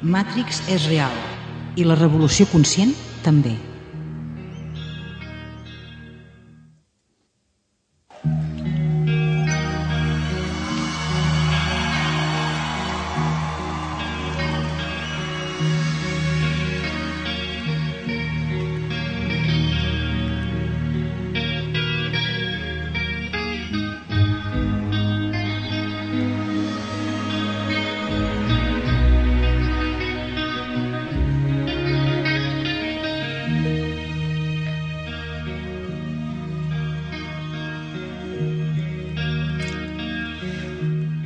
Matrix és real i la revolució conscient també.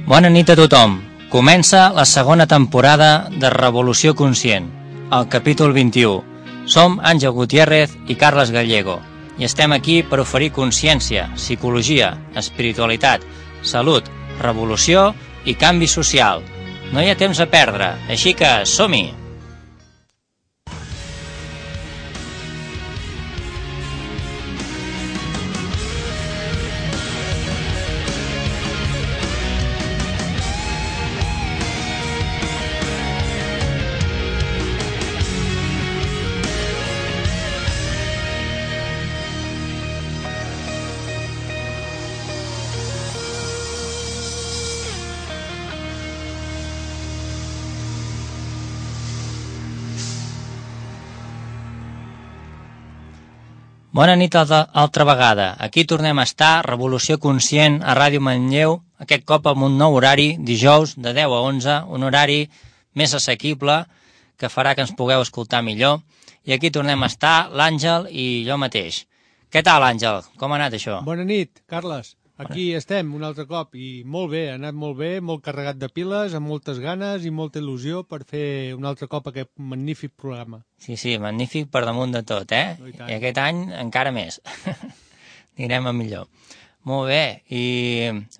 Bona nit a tothom. Comença la segona temporada de Revolució Conscient, el capítol 21. Som Àngel Gutiérrez i Carles Gallego i estem aquí per oferir consciència, psicologia, espiritualitat, salut, revolució i canvi social. No hi ha temps a perdre, així que som-hi! Bona nit altra vegada. Aquí tornem a estar, Revolució Conscient, a Ràdio Manlleu, aquest cop amb un nou horari, dijous, de 10 a 11, un horari més assequible, que farà que ens pugueu escoltar millor. I aquí tornem a estar, l'Àngel i jo mateix. Què tal, Àngel? Com ha anat això? Bona nit, Carles. Aquí estem un altre cop i molt bé, ha anat molt bé, molt carregat de piles, amb moltes ganes i molta il·lusió per fer un altre cop aquest magnífic programa. Sí, magnífic per damunt de tot, eh? I aquest any encara més. Anirem a millor. Molt bé, i...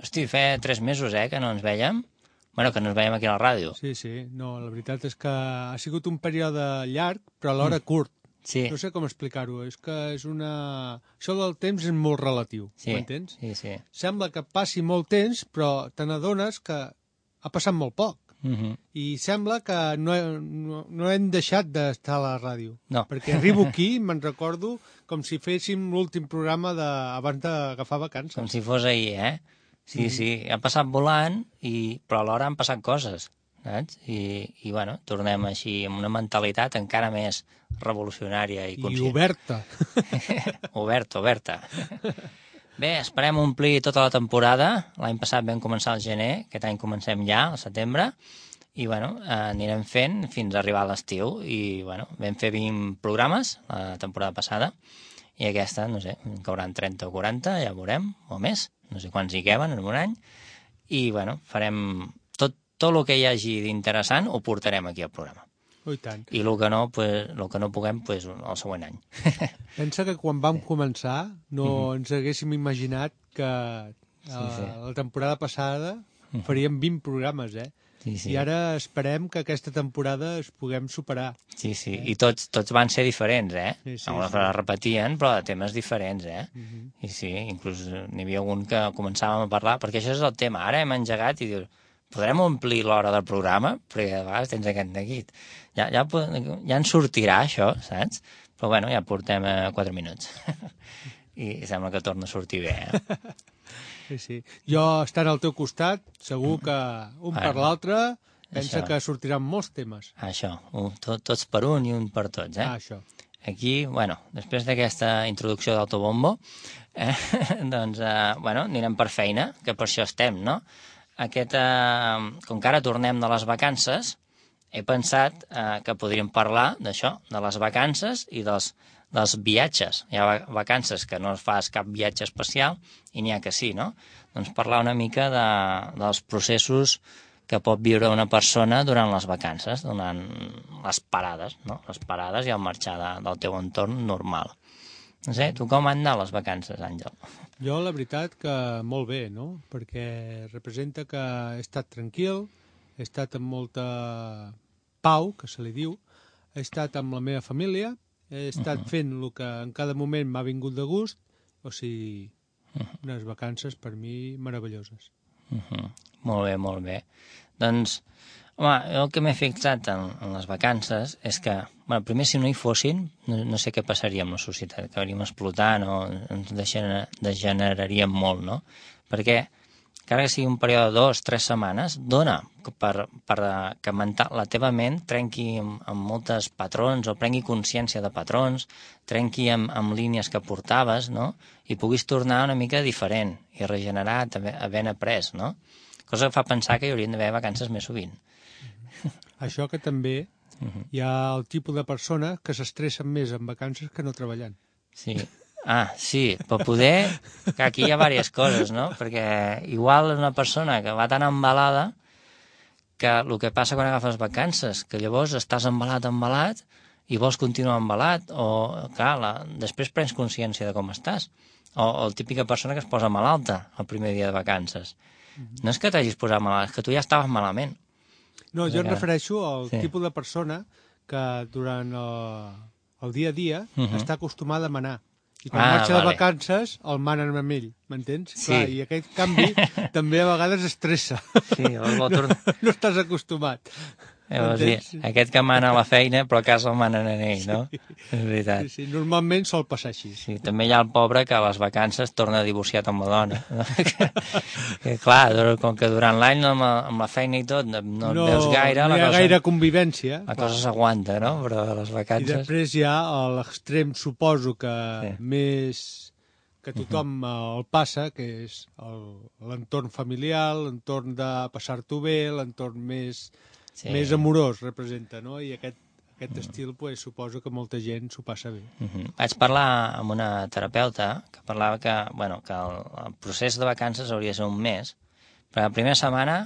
Hosti, fa 3 mesos, que no ens vèiem. Bueno, que no ens veiem aquí a la ràdio. Sí, no, la veritat és que ha sigut un període llarg, però alhora curt. Sí. No sé com explicar-ho, és que és una... Això del temps és molt relatiu, m'entens? Sí. Sembla que passi molt temps, però te n'adones que ha passat molt poc. I sembla que no hem deixat d'estar a la ràdio. No. Perquè arribo aquí, me'n recordo, com si féssim l'últim programa abans d'agafar vacances. Com si fos ahir, Sí, ha passat volant, però alhora han passat coses, saps? I bueno, tornem així amb una mentalitat encara més revolucionària i conscient. I oberta. Oberta. Bé, esperem omplir tota la temporada. L'any passat vam començar al gener, aquest any comencem ja, al setembre, i bueno, anirem fent fins a arribar a l'estiu. I bueno, vam fer 20 programes la temporada passada, i aquesta, no sé, en cauran 30 o 40, ja veurem, o més, no sé quants hi caben en un any, i bueno, farem tot el que hi hagi d'interessant ho portarem aquí al programa. Oh, i tant. I el que no puguem, el següent any. Pensa que quan vam començar no ens haguéssim imaginat que la temporada passada faríem 20 programes, Sí. I ara esperem que aquesta temporada es puguem superar. Sí, i tots van ser diferents, Sí. Alguns repetien, però de temes diferents, I sí, inclús n'hi havia algun que començàvem a parlar, perquè això és el tema. Ara hem engegat i dius, podrem omplir l'hora del programa? Perquè a vegades tens aquest neguit. Ja en sortirà, això, saps? Però bueno, ja portem 4 minuts. I sembla que torna a sortir bé, Sí. Jo, estant al teu costat, segur que un per l'altre pensa que sortiran molts temes. Això, tots per un i un per tots, Això. Aquí, bueno, després d'aquesta introducció d'autobombo, doncs, anirem per feina, que per això estem, no? Com que ara tornem de les vacances, he pensat que podríem parlar d'això, de les vacances i dels viatges. Hi ha vacances que no fas cap viatge especial i n'hi ha que sí, no? Doncs parlar una mica dels processos que pot viure una persona durant les vacances, durant les parades, no? Les parades i el marxar del teu entorn normal. No sé, tu com han anat les vacances, Àngel? Jo, la veritat, que molt bé, no? Perquè representa que he estat tranquil, he estat amb molta pau, que se li diu, he estat amb la meva família, he estat fent el que en cada moment m'ha vingut de gust, o sigui, unes vacances per mi meravelloses. Molt bé. Doncs Home, el que m'he fixat en les vacances és que, bueno, primer, si no hi fossin, no sé què passaria amb la societat, acabaríem explotant o ens degeneraríem molt, no? Perquè, encara que sigui un període de 2-3 setmanes, dona per que la teva ment trenqui amb moltes patrons o prengui consciència de patrons, trenqui amb línies que portaves, no? I puguis tornar una mica diferent i regenerar, també havent après, no? Cosa que fa pensar que hi haurien d'haver vacances més sovint. Això que també hi ha el tipus de persona que s'estressen més en vacances que no treballant. Sí. Sí, però poder... Que aquí hi ha diverses coses, no? Perquè igual és una persona que va tan embalada que el que passa quan agafes vacances, que llavors estàs embalat i vols continuar embalat, o, clar, després prens consciència de com estàs. O la típica persona que es posa malalta el primer dia de vacances. No és que t'hagis posat malalt, és que tu ja estaves malament. No, jo em refereixo al tipus de persona que durant el dia a dia està acostumada a manar. I quan marxa de vacances el manen amb ell, m'entens? Sí. Clar, i aquest canvi també a vegades estressa. Sí, no estàs acostumat. Aquest que mana a la feina, però a casa el manen a ell, no? És veritat. Sí, normalment sol passar així. Sí, també hi ha el pobre que a les vacances torna divorciat amb la dona. No? que, clar, com que durant l'any amb la feina i tot no et veus gaire... No hi ha gaire convivència. La cosa s'aguanta, no? Però a les vacances... I després hi ha l'extrem, suposo que més... que tothom el passa, que és l'entorn familiar, l'entorn de passar-t'ho bé, l'entorn més amorós representa, no? I aquest estil, pues, suposo que molta gent s'ho passa bé. Vaig parlar amb una terapeuta que parlava que el procés de vacances hauria de ser un mes, però la primera setmana,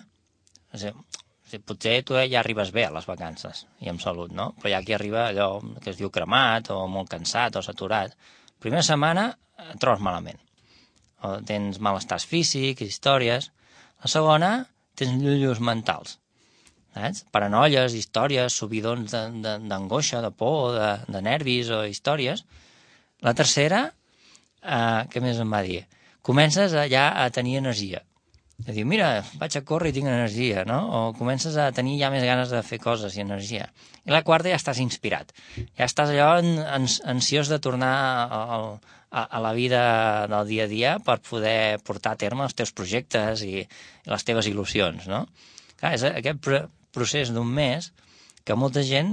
potser tu ja arribes bé a les vacances i amb salut, no? Però hi ha qui arriba allò que es diu cremat o molt cansat o saturat. La primera setmana et trobes malament. O tens malestars físics, històries. La segona, tens llullos mentals. Saps? Paranoies, històries, subidons d'angoixa, de por, de nervis o històries. La tercera, què més em va dir? Comences ja a tenir energia. A dir, mira, vaig a córrer i tinc energia, no? O comences a tenir ja més ganes de fer coses i energia. I la quarta ja estàs inspirat. Ja estàs allò ansiós de tornar a la vida del dia a dia per poder portar a terme els teus projectes i les teves il·lusions, no? Clar, és aquest procés d'un mes que molta gent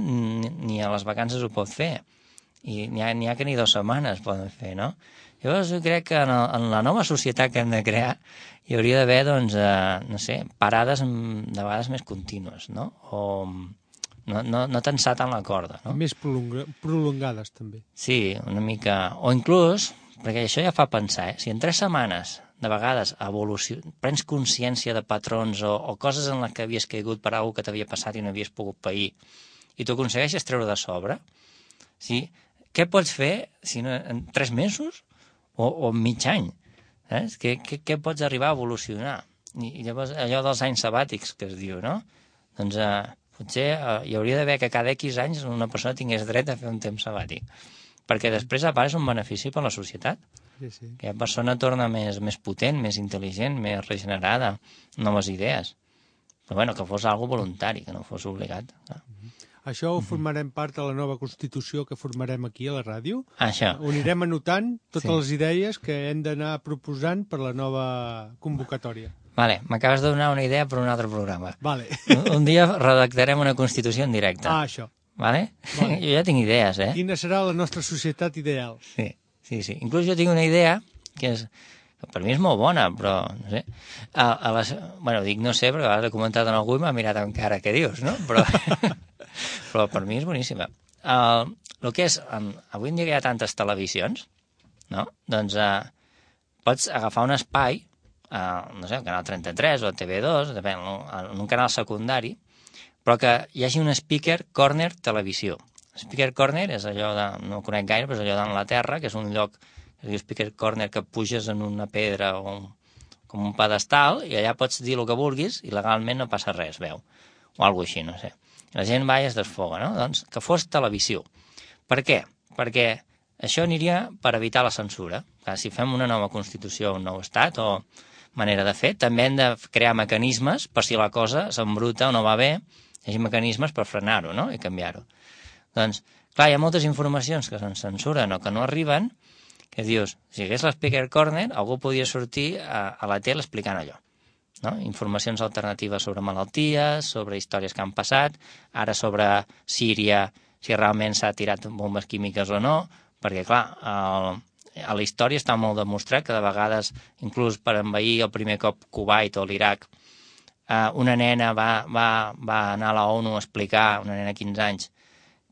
ni a les vacances ho pot fer. I n'hi ha que ni 2 setmanes poden fer, no? Llavors jo crec que en la nova societat que hem de crear hi hauria d'haver, doncs, no sé, parades de vegades més contínues, no? O no tensar tant la corda, no? Més prolongades, també. Sí, una mica... O inclús, perquè això ja fa pensar, si en 3 setmanes de vegades prens consciència de patrons o coses en les que havies caigut per alguna que t'havia passat i no havies pogut pair, i tu aconsegueixes treure de sobre, sí? Què pots fer si no, en 3 mesos o en mig any? Saps? Què pots arribar a evolucionar? I llavors allò dels anys sabàtics que es diu, no? Doncs potser hi hauria d'haver que cada X anys una persona tingués dret a fer un temps sabàtic, perquè després a part és un benefici per a la societat. Sí. Que la persona torna més potent, més intel·ligent, més regenerada, noves idees. Però bueno, que fos algo voluntari, que no fos obligat. Això ho formarem part de la nova Constitució que formarem aquí a la ràdio. Això. Ho anirem anotant totes les idees que hem d'anar proposant per la nova convocatòria. Vale, m'acabes de donar una idea per un altre programa. Vale. Un dia redactarem una Constitució en directe. Això. Vale? Jo ja tinc idees, Quina serà la nostra societat ideal? Sí. Inclús jo tinc una idea que per mi és molt bona, però no sé. Bueno, dic no sé, perquè l'has comentat en algú i m'ha mirat amb cara, què dius, no? Però per mi és boníssima. El que és, avui en dia que hi ha tantes televisions, no? Doncs pots agafar un espai, no sé, el canal 33 o el TV2, depèn, en un canal secundari, però que hi hagi un speaker corner televisió. Speaker corner és allò no ho conec gaire, però és allò d'Anglaterra, que és un lloc, es diu speaker corner, que puges en una pedra o com un pedestal i allà pots dir el que vulguis i legalment no passa res, veu. O alguna així, no sé. I la gent va i es desfoga, no? Doncs que fos televisió. Per què? Perquè això aniria per evitar la censura. Clar, si fem una nova Constitució, un nou estat o manera de fer, també hem de crear mecanismes per si la cosa s'embruta o no va bé, hi hagi mecanismes per frenar-ho, no?, i canviar-ho. Doncs, clar, hi ha moltes informacions que se'n censuren o que no arriben, que dius, si hi hagués l'Speaker Corner, algú podia sortir a la tele explicant allò, no? Informacions alternatives sobre malalties, sobre històries que han passat, ara sobre Síria, si realment s'ha tirat bombes químiques o no, perquè, clar, a la història està molt demostrat que de vegades, inclús per envair el primer cop Kuwait o l'Iraq, una nena va anar a la ONU a explicar, una nena de 15 anys,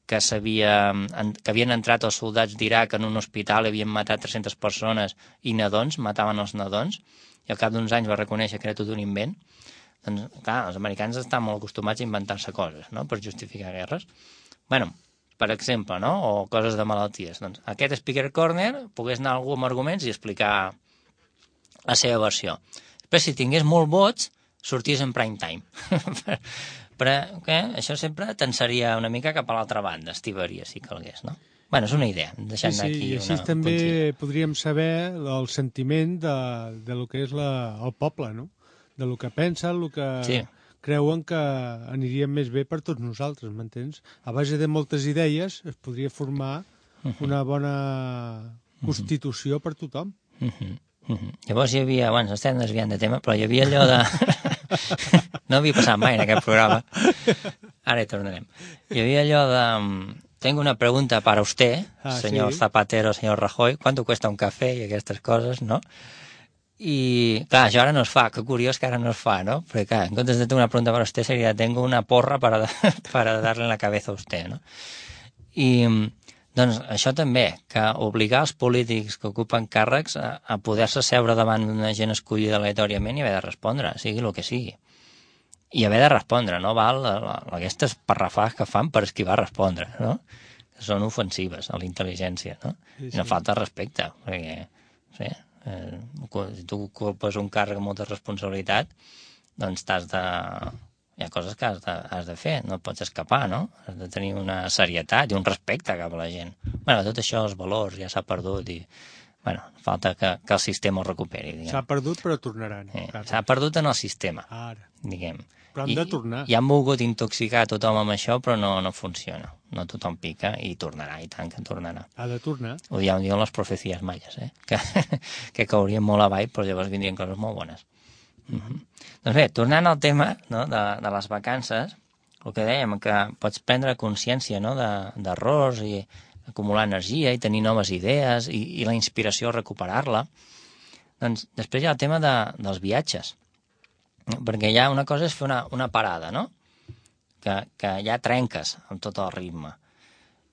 que havien entrat els soldats d'Iraq en un hospital i havien matat 300 persones i nadons, mataven els nadons, i al cap d'uns anys va reconèixer que era tot un invent. Doncs, clar, els americans estan molt acostumats a inventar-se coses, no?, per justificar guerres. Bueno, per exemple, no?, o coses de malalties. Doncs aquest Speaker Corner pogués anar algú amb arguments i explicar la seva versió. Després, si tingués molts vots, sortís en prime time. Però això sempre tensaria una mica cap a l'altra banda, estivaria, si calgués, no? Bueno, és una idea. Sí, i així també podríem saber el sentiment de lo que és el poble, no? De lo que pensen, el que creuen que aniria més bé per tots nosaltres, m'entens? A base de moltes idees es podria formar una bona constitució per tothom. Llavors hi havia, bueno, estem desviant de tema, però hi havia allò de... No havia passat mai en aquest programa. Ara hi tornarem. Hi havia allò de... Tengo una pregunta para usted, señor Zapatero, señor Rajoy. ¿Cuánto cuesta un café? I aquestes coses, no? I, clar, això ara no es fa. Que curiós que ara no es fa, no? Perquè, clar, en comptes de tengo una pregunta para usted, seria tengo una porra para darle en la cabeza a usted, no? I, doncs, això també, que obligar els polítics que ocupen càrrecs a poder-se seure davant d'una gent escollida aleatòriament i haver de respondre, sigui el que sigui. I haver de respondre, no val aquestes parrafades que fan per esquivar respondre, no? Que són ofensives a la intel·ligència, no? I no falta respecte, perquè, sí, si tu ocupes un càrrec amb molta responsabilitat, doncs hi ha coses que has de fer, no pots escapar, no? Has de tenir una serietat i un respecte cap a la gent. Bueno, tot això, els valors, ja s'ha perdut i, bueno, falta que el sistema ho recuperi, diguem. S'ha perdut, però tornaran. S'ha perdut en el sistema, diguem. Però han de tornar. I han volgut intoxicar tothom amb això, però no funciona. No tothom pica i tornarà, i tant que tornarà. Ha de tornar. Ho diuen les profecies maies, que caurien molt avall, però llavors vindrien coses molt bones. Doncs bé, tornant al tema, no, de les vacances, el que dèiem, que pots prendre consciència, no, d'errors i acumular energia i tenir noves idees i la inspiració recuperar-la. Doncs després hi ha el tema dels viatges, perquè ja una cosa és fer una parada, no? Que ja trenques amb tot el ritme.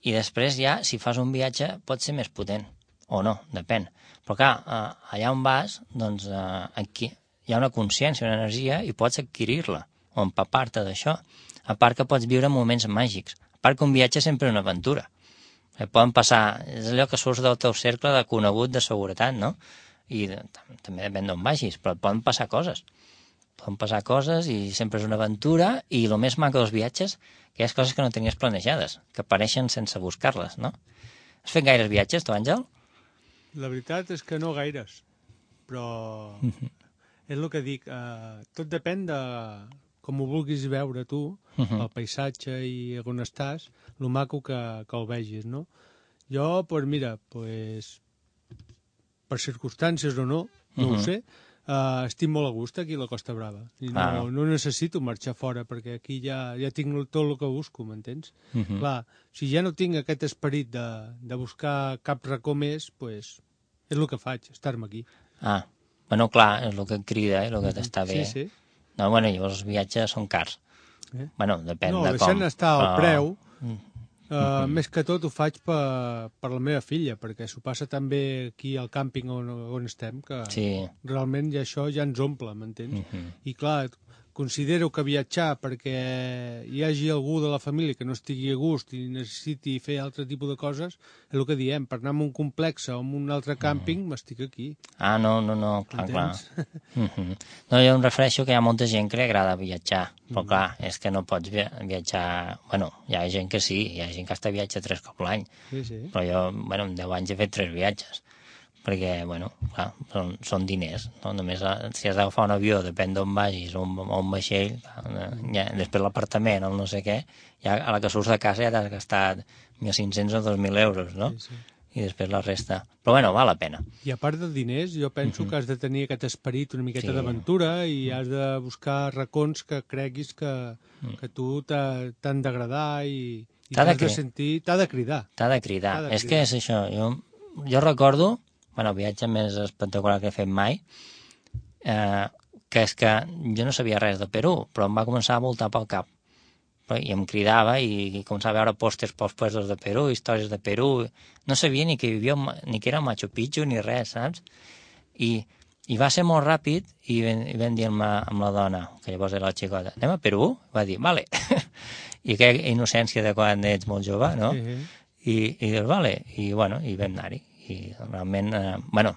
I després ja, si fas un viatge, pot ser més potent, o no, depèn. Però clar, allà on vas, doncs aquí hi ha una consciència, una energia, i pots adquirir-la, o empapar-te d'això. A part que pots viure moments màgics. A part que un viatge sempre és una aventura. Poden passar, és allò que surts del teu cercle de conegut de seguretat, no? I també depèn d'on vagis, però poden passar coses. Poden passar coses i sempre és una aventura, i el més maco dels viatges, que hi ha coses que no tenies planejades, que apareixen sense buscar-les, no? Has fet gaires viatges, tu, Àngel? La veritat és que no gaires, però és el que dic, tot depèn de com ho vulguis veure tu, el paisatge i on estàs, el maco que el vegis, no? Jo, doncs mira, per circumstàncies o no, no ho sé, estic molt a gust aquí a la Costa Brava. I no necessito marxar fora, perquè aquí ja tinc tot el que busco, m'entens? Clar, si ja no tinc aquest esperit de buscar cap racó més, doncs és el que faig, estar-me aquí. Bueno, clar, és el que et crida, el que t'està bé. Sí. No, bueno, llavors els viatges són cars. Bueno, depèn de com. No, deixant estar el preu, més que tot ho faig per la meva filla, perquè s'ho passa també aquí al càmping on estem, que realment ja això ja ens omple, m'entens? I clar, considero que viatjar perquè hi hagi algú de la família que no estigui a gust i necessiti fer altre tipus de coses, és el que diem, per anar a un complex o a un altre càmping, m'estic aquí. No, clar. No, jo em refereixo que hi ha molta gent que li agrada viatjar, però clar, és que no pots viatjar... Bueno, hi ha gent que sí, hi ha gent que està viatja 3 cops l'any, però jo, en 10 anys he fet 3 viatges. perquè, bueno, clar, són diners, no? Només si has d'agafar un avió, depèn d'on vagis, o un vaixell, ja, després l'apartament, el no sé què, ja a la que surts de casa ja t'has gastat 1.500 o 2.000 euros, no? Sí, sí. I després la resta. Però bueno, val la pena. I a part de diners, jo penso que has de tenir aquest esperit una miqueta Sí. d'aventura i has de buscar racons que creguis que tu t'han d'agradar i T'ha de t'has de sentir... T'ha de cridar. T'ha de cridar. T'ha de És cridar. que és això. Jo recordo, bueno, el viatge més espectacular que he fet mai, que és que jo no sabia res de Perú, però em va començar a voltar pel cap. I em cridava i començava a veure pòsters pels puestos de Perú, històries de Perú. No sabia ni que vivia, ni que era Machu Picchu ni res, saps? I va ser molt ràpid i vam dir amb la dona, que llavors era la xicota, anem a Perú? Va dir, vale. I aquella innocència de quan ets molt jove, no? I dius, vale. I bueno, i vam anar-hi. I realment, bueno,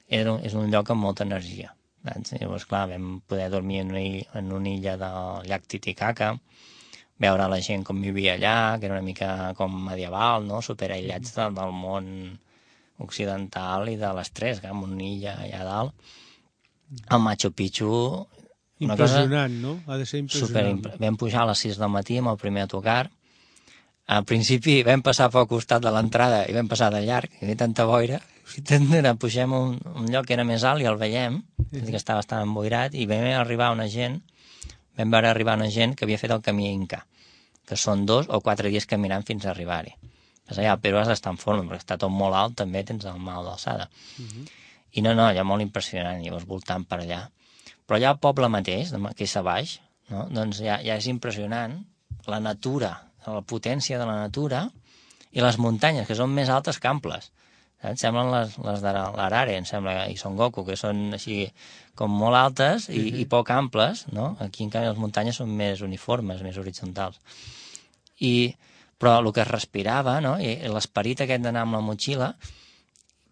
és un lloc amb molta energia. Llavors, clar, vam poder dormir en una illa del llac Titicaca, veure la gent com vivia allà, que era una mica com medieval, no? Superaïllats del món occidental i de l'estrès, amb una illa allà dalt. El Machu Picchu... Impressionant, no? Ha de ser impressionant. Vam pujar a les 6 del matí amb el primer autocar. Al principi vam passar pel costat de l'entrada i vam passar de llarg, hi havia tanta boira. Pugem a un lloc que era més alt i el veiem, que estava bastant emboirat, i vam arribar una gent que havia fet el camí Inca, que són 2 o 4 dies caminant fins a arribar-hi. Allà al Perú has d'estar en forma, perquè està tot molt alt, també tens el mal d'alçada. I no, allà molt impressionant, llavors voltant per allà. Però allà al poble mateix, que és a baix, no? Doncs ja és impressionant la natura, la potència de la natura i les muntanyes, que són més altes que amples. Em semblen les de l'Arare, em sembla, i Son Goku, que són així com molt altes i poc amples, no? Aquí, en canvi, les muntanyes són més uniformes, més horitzontals. Però el que es respirava, no? I l'esperit aquest d'anar amb la motxilla,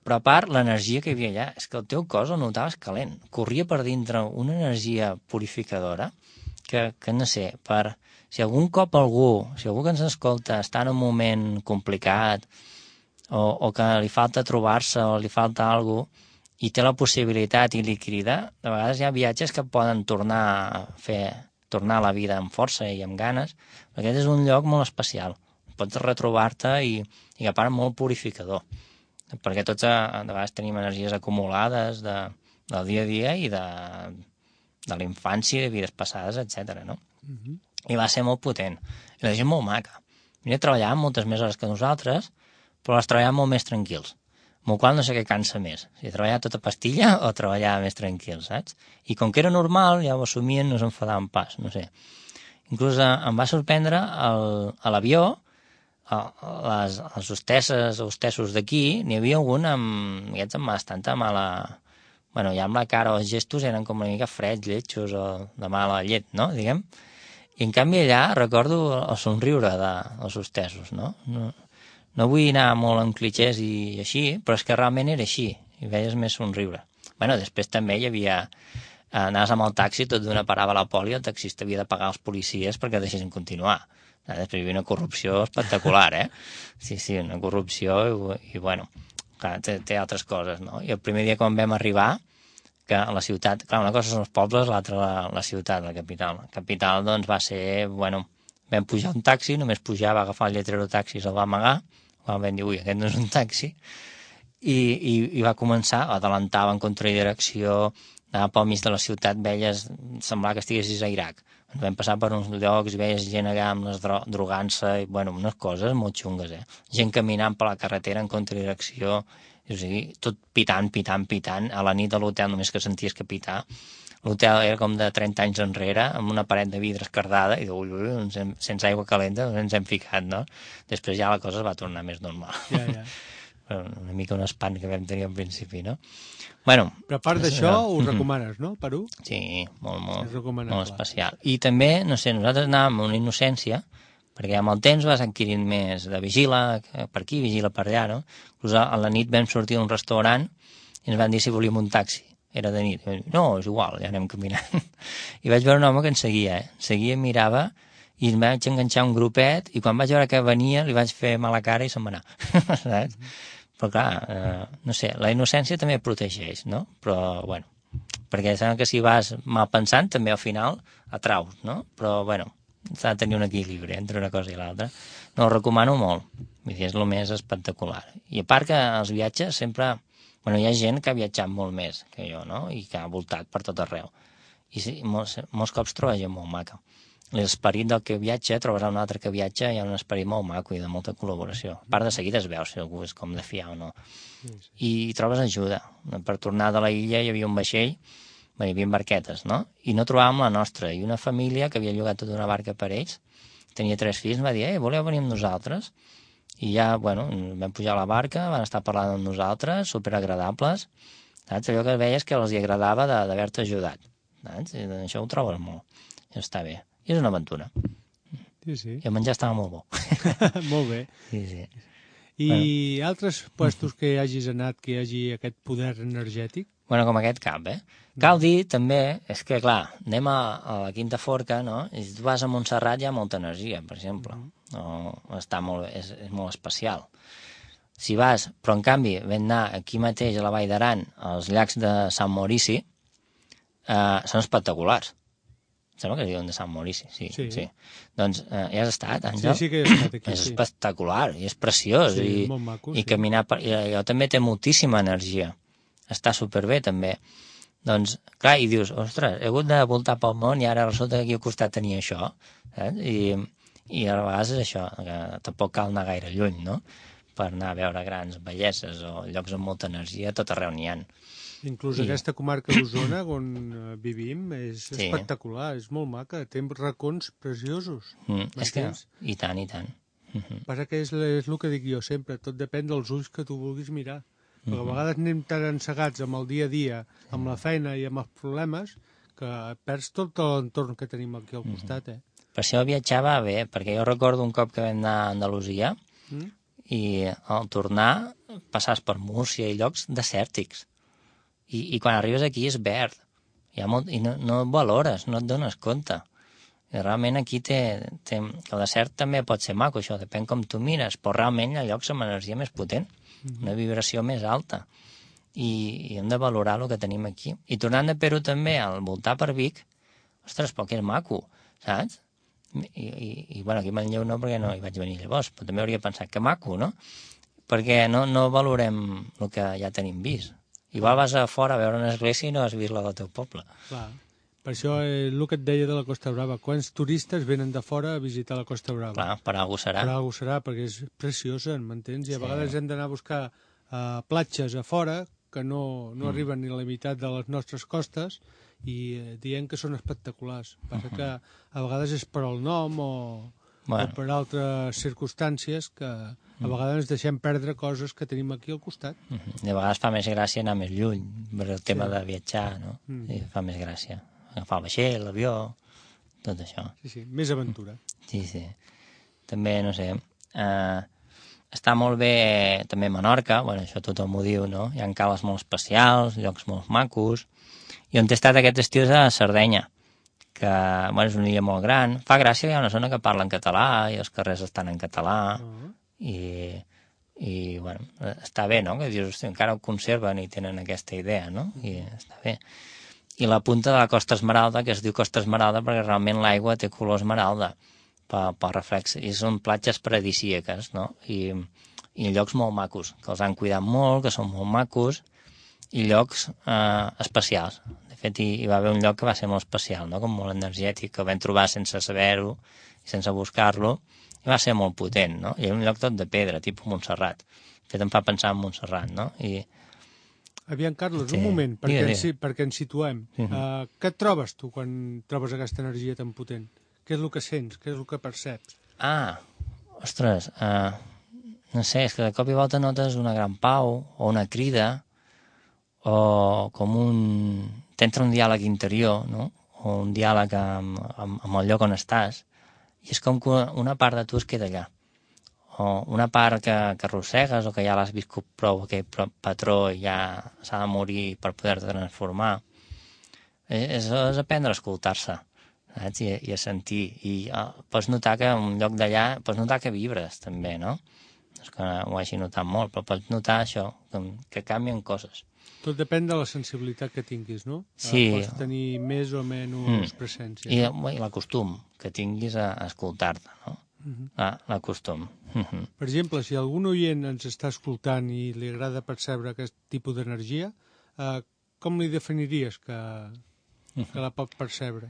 però a part, l'energia que hi havia allà, és que el teu cos el notaves calent. Corria per dintre una energia purificadora que no sé, si algun que ens escolta està en un moment complicat, o que li falta trobar-se o li falta alguna cosa i té la possibilitat i li crida, de vegades hi ha viatges que poden tornar a la vida amb força i amb ganes, perquè aquest és un lloc molt especial. Pots retrobar-te i a part molt purificador, perquè tots de vegades tenim energies acumulades del dia a dia i de la infància, de vides passades, etc. No? I va ser molt potent. I la gent molt maca. Venia a treballar moltes més hores que nosaltres, però les treballàvem molt més tranquils. Amb el qual no sé què cansa més, si treballar tota pastilla o treballar més tranquils, saps? I com que era normal, ja ho assumien, no s'enfadaven pas, no sé. Inclús em va sorprendre a l'avió, les hostesses o hostessos d'aquí, n'hi havia algun amb bastanta mala... Bueno, ja amb la cara o els gestos eren com una mica freds, lletjos o de mala llet, no? Diguem. I en canvi allà recordo el somriure dels hostessos, no? No vull anar molt en clichés i així, però és que realment era així, i veies més somriure. Bueno, després també hi havia... Anaves amb el taxi, tot d'una parava la poli, el taxista havia de pagar els policies perquè deixessin continuar. Després hi havia una corrupció espectacular, Sí, una corrupció i bueno, clar, té altres coses, no? I el primer dia quan vam arribar, que a la ciutat... Clar, una cosa són els pobles, l'altra la ciutat, la capital. La capital, doncs, va ser... Bueno, vam pujar un taxi, només pujava, agafar el lletrero taxi i se'l va amagar. Vam dir, ui, aquest no és un taxi. I va començar, adelantava en contradirecció, anava pel mig de la ciutat, veies, semblava que estiguessis a Iraq. Vam passar per uns llocs i veies gent allà amb les drogant-se, i, bueno, unes coses molt xungues, Gent caminant per la carretera en contradirecció, o sigui, tot pitant, a la nit a l'hotel només que senties que pitar. L'hotel era com de 30 anys enrere, amb una paret de vidre esquerdada, i sense aigua calenta ens hem ficat, no? Després ja la cosa es va tornar més normal. Ja. Una mica un espant que vam tenir al principi, no? Bueno... Però a part d'això, ho recomanes, no, Perú? Sí, molt especial. Clar. I també, no sé, nosaltres anàvem amb una innocència, perquè amb el temps vas adquirint més de vigila per aquí, vigila per allà, no? Inclús a la nit vam sortir d'un restaurant i ens van dir si volíem un taxi. Era de nit. No, és igual, ja anem caminant. I vaig veure un home que ens seguia, Seguia, mirava, i em vaig enganxar un grupet, i quan vaig veure que venia li vaig fer mala cara i se'n va anar. Saps? Però clar, no sé, la innocència també protegeix, no? Però, bueno, perquè sembla que si vas mal pensant també al final atraus, no? Però, bueno, s'ha de tenir un equilibri entre una cosa i l'altra. No, ho recomano molt. Vull dir, és el més espectacular. I a part que els viatges sempre... Bueno, hi ha gent que ha viatjat molt més que jo, no? I que ha voltat per tot arreu. I sí, molts cops troba gent molt maca. L'esperit del que viatja, trobes un altre que viatja, hi ha un esperit molt maco i de molta col·laboració. A part de seguida es veu si algú és com de fiar o no. I trobes ajuda. Per tornar de la illa hi havia un vaixell, hi havia barquetes, no? I no trobàvem la nostra. I una família que havia llogat tota una barca per ells, tenia 3 fills, em va dir, voleu venir amb nosaltres? I ja, bueno, vam pujar a la barca, van estar parlant amb nosaltres, superagradables, saps? Allò que veies que els agradava d'haver-te ajudat, saps? I això ho trobes molt. I està bé. I és una aventura. Sí, sí. I el menjar estava molt bo. Molt bé. Sí, sí. I altres puestos que hagis anat que hi hagi aquest poder energètic? Bueno, com aquest cap, Cal dir, també, és que, clar, anem a la Quinta Forca, no? I si tu vas a Montserrat hi ha molta energia, per exemple. Està molt, és molt especial. Si vas, però en canvi vam anar aquí mateix a la Vall d'Aran, als llacs de Sant Maurici, són espectaculars. Sembla que es diuen de Sant Maurici, sí. Doncs ja has estat, Àngel? Sí, que he estat aquí. És espectacular, i és preciós. Sí, molt maco, i caminar per... I allò també té moltíssima energia. Està superbé, també. Doncs, clar, i dius, ostres, he hagut de voltar pel món i ara resulta que aquí al costat tenia això, saps? I a vegades és això, que tampoc cal anar gaire lluny, no?, per anar a veure grans belleses o llocs amb molta energia, tot arreu n'hi ha. Inclús aquesta comarca d'Osona, on vivim, és espectacular, és molt maca, té racons preciosos. És que, i tant, i tant. Passa que és el que dic jo sempre, tot depèn dels ulls que tu vulguis mirar. Perquè a vegades anem tan encegats amb el dia a dia, amb la feina i amb els problemes, que perds tot l'entorn que tenim aquí al costat, Per això viatjava bé, perquè jo recordo un cop que vam anar a Andalusia i al tornar passaves per Múrcia i llocs desèrtics. I quan arribes aquí és verd. I no et valores, no et dones compte. I realment aquí el desert també pot ser maco, això depèn com tu mires, però realment hi ha llocs amb energia més potent, una vibració més alta. I hem de valorar el que tenim aquí. I tornant de Perú també, al voltar per Vic, ostres, però que és maco, saps? I bueno, aquí a Manlleu no, perquè no hi vaig venir llavors, però també hauria pensat que maco, no? Perquè no valorem el que ja tenim vist. Igual vas a fora a veure una església i no has vist la del teu poble. Clar. Per això el que et deia de la Costa Brava, quants turistes venen de fora a visitar la Costa Brava? Clar, per alguna serà. Per alguna serà, perquè és preciosa, m'entens? I a vegades hem d'anar a buscar platges a fora que no arriben ni a la meitat de les nostres costes i dient que són espectaculars. Passa que a vegades és per al nom o per altres circumstàncies que a vegades ens deixem perdre coses que tenim aquí al costat. I a vegades fa més gràcia anar més lluny, per el tema de viatjar, no? I fa més gràcia. Agafar el vaixell, l'avió, tot això. Sí, més aventura. Sí. També, no sé, està molt bé també Menorca, bueno, això tothom ho diu, no? Hi ha cales molt especials, llocs molt macos. I on he estat aquest estiu és a Sardenya, que bueno, és una illa molt gran. Fa gràcia que hi ha una zona que parla en català i els carrers estan en català i bueno, està bé, no? Que dius, hosti, encara ho conserven i tenen aquesta idea, no? I està bé. I la punta de la Costa Esmeralda, que es diu Costa Esmeralda perquè realment l'aigua té color esmeralda pel reflex, i són platges paradisíaques, no? I llocs molt macos, que els han cuidat molt, que són molt macos, i llocs especials. De fet, hi va haver un lloc que va ser molt especial, no? Com molt energètic, que el vam trobar sense saber-ho i sense buscar-lo, i va ser molt potent, no? I era un lloc tot de pedra, tipus Montserrat. De fet, em fa pensar en Montserrat, no? Aviam, Carlos, un moment, perquè ens situem. Què et trobes tu quan trobes aquesta energia tan potent? Què és el que sents? Què és el que perceps? Ostres, no sé, és que de cop i volta notes una gran pau o una crida o com t'entra un diàleg interior, no? O un diàleg amb el lloc on estàs, i és com que una part de tu es queda allà. O una part que arrossegues o que ja l'has viscut prou, aquell patró i ja s'ha de morir per poder-te transformar. És aprendre a escoltar-se, saps? I a sentir. I pots notar que en un lloc d'allà, pots notar que vibres també, no? és que ho hagi notat molt, però pots notar això, que canvien coses. Tot depèn de la sensibilitat que tinguis, no? Sí. Pots tenir més o menys presència. I l'acostum que tinguis a escoltar-te, no? L'acostum. Per exemple, si algun oient ens està escoltant i li agrada percebre aquest tipus d'energia, com li definiries que la pot percebre?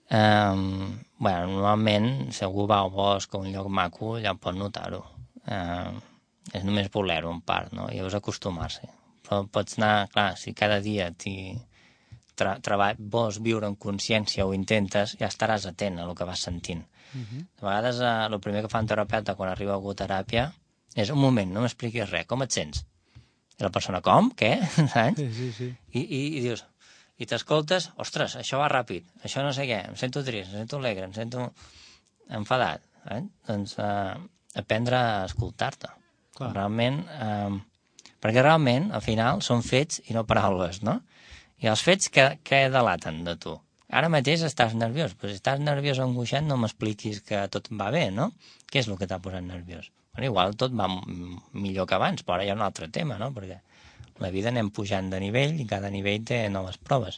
Normalment, si algú va al bosc o un lloc maco, ja pot notar-ho. És només voler-ho en part, no? Llavors acostumar-s'hi. Però pots anar, clar, si cada dia vols viure en consciència o intentes, ja estaràs atent a el que vas sentint. De vegades, el primer que fa un terapeuta quan arriba algú a teràpia és un moment, no m'expliquis res, com et sents? I la persona, com? Què? Saps? Sí. I dius, i t'escoltes, ostres, això va ràpid, això no sé què, em sento trist, em sento alegre, em sento enfadat. Doncs aprendre a escoltar-te. Realment, perquè realment, al final, són fets i no paraules, no? I els fets què delaten de tu? Ara mateix estàs nerviós, però si estàs nerviós o angoixat no m'expliquis que tot va bé, no? Què és el que t'ha posat nerviós? Bueno, igual tot va millor que abans, però ara hi ha un altre tema, no? Perquè la vida anem pujant de nivell i cada nivell té noves proves.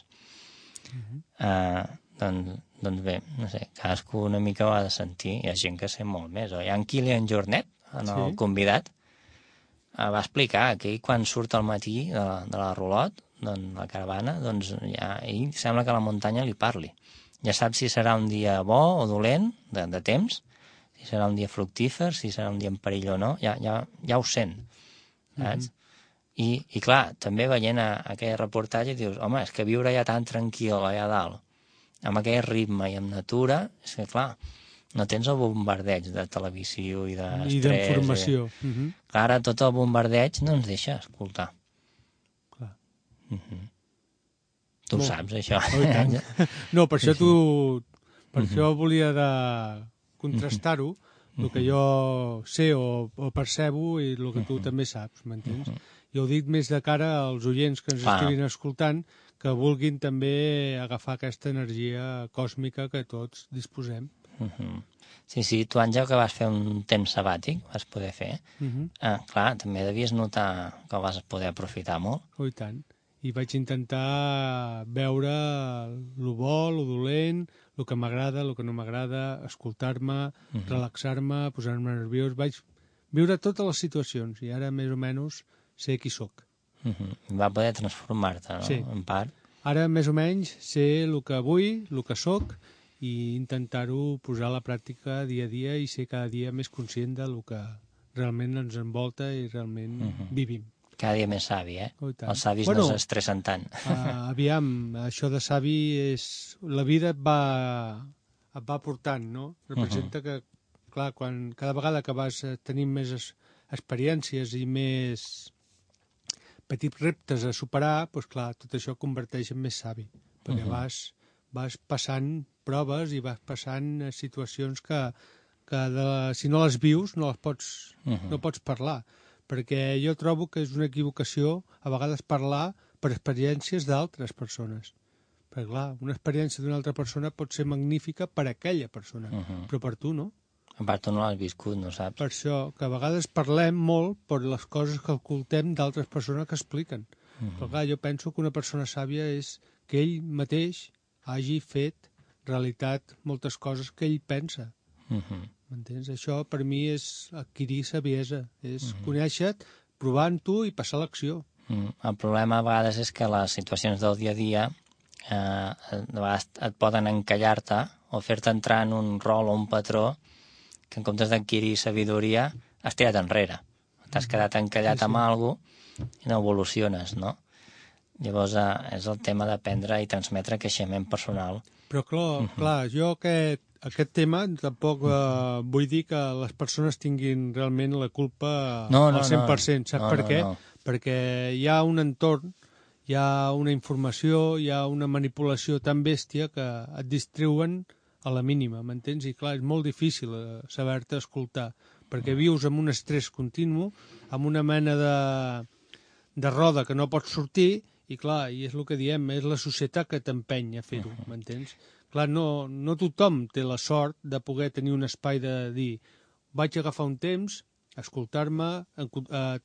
Doncs bé, no sé, cadascú una mica ho ha de sentir. Hi ha gent que sent molt més. Hi ha en Kilian Jornet, el convidat, va explicar que ell quan surt al matí de la Rolot, la caravana, doncs ja, ell sembla que la muntanya li parli. Ja sap si serà un dia bo o dolent, de temps, si serà un dia fructífer, si serà un dia en perill o no, ja ho sent, saps? I clar, també veient aquell reportatge dius, home, és que viure ja tan tranquil allà dalt, amb aquell ritme i amb natura, és que clar, no tens el bombardeig de televisió i d'estrès. I d'informació. Clar, ara tot el bombardeig no ens deixa escoltar. Tu ho saps, això. No, per això per això volia de contrastar-ho, el que jo sé o percebo i el que tu també saps, m'entens? Jo ho dic més de cara als oients que ens estiguin escoltant, que vulguin també agafar aquesta energia còsmica que tots disposem. Sí, tu, Àngel, que vas fer un temps sabàtic, vas poder fer, clar, també devies notar que ho vas poder aprofitar molt. Oh, i tant. I vaig intentar veure el bo, el dolent, el que m'agrada, el que no m'agrada, escoltar-me, relaxar-me, posar-me nerviós. Vaig viure totes les situacions i ara més o menys sé qui sóc. Va poder transformar-te, no? Sí. En part. Ara més o menys sé el que vull, el que sóc i intentar-ho posar a la pràctica dia a dia i ser cada dia més conscient del que realment ens envolta i realment vivim. Cada dia més savi, eh? Oh, els savis no s'estressen tant. Aviam, això de savi és... La vida et va portant, no? Representa que, clar, cada vegada que vas tenint més experiències i més petits reptes a superar, doncs clar, tot això converteix en més savi, perquè vas passant proves i vas passant situacions que si no les vius no pots parlar. Perquè jo trobo que és una equivocació a vegades parlar per experiències d'altres persones. Perquè, clar, una experiència d'una altra persona pot ser magnífica per a aquella persona, però per tu no. A part, tu no l'has viscut, no saps? Per això, que a vegades parlem molt per les coses que escoltem d'altres persones que expliquen. Però, clar, jo penso que una persona sàvia és que ell mateix hagi fet realitat moltes coses que ell pensa. M'entens? Això per mi és adquirir saviesa, és conèixer-te, provant-ho i passar l'acció. El problema a vegades és que les situacions del dia a dia de vegades et poden encallar-te o fer-te entrar en un rol o un patró que en comptes d'adquirir sabidoria has tirat enrere. T'has quedat encallat amb alguna cosa i no evoluciones, no? Llavors és el tema d'aprendre i transmetre creixement personal. Però clar, jo aquest tema tampoc vull dir que les persones tinguin realment la culpa al 100%. Saps per què? Perquè hi ha un entorn, hi ha una informació, hi ha una manipulació tan bèstia que et distreuen a la mínima, m'entens? I clar, és molt difícil saber-te escoltar, perquè vius amb un estrès continu, amb una mena de roda que no pots sortir, i clar, i és el que diem, és la societat que t'empeny a fer-ho, m'entens? Clar, no tothom té la sort de poder tenir un espai de dir vaig agafar un temps escoltar-me,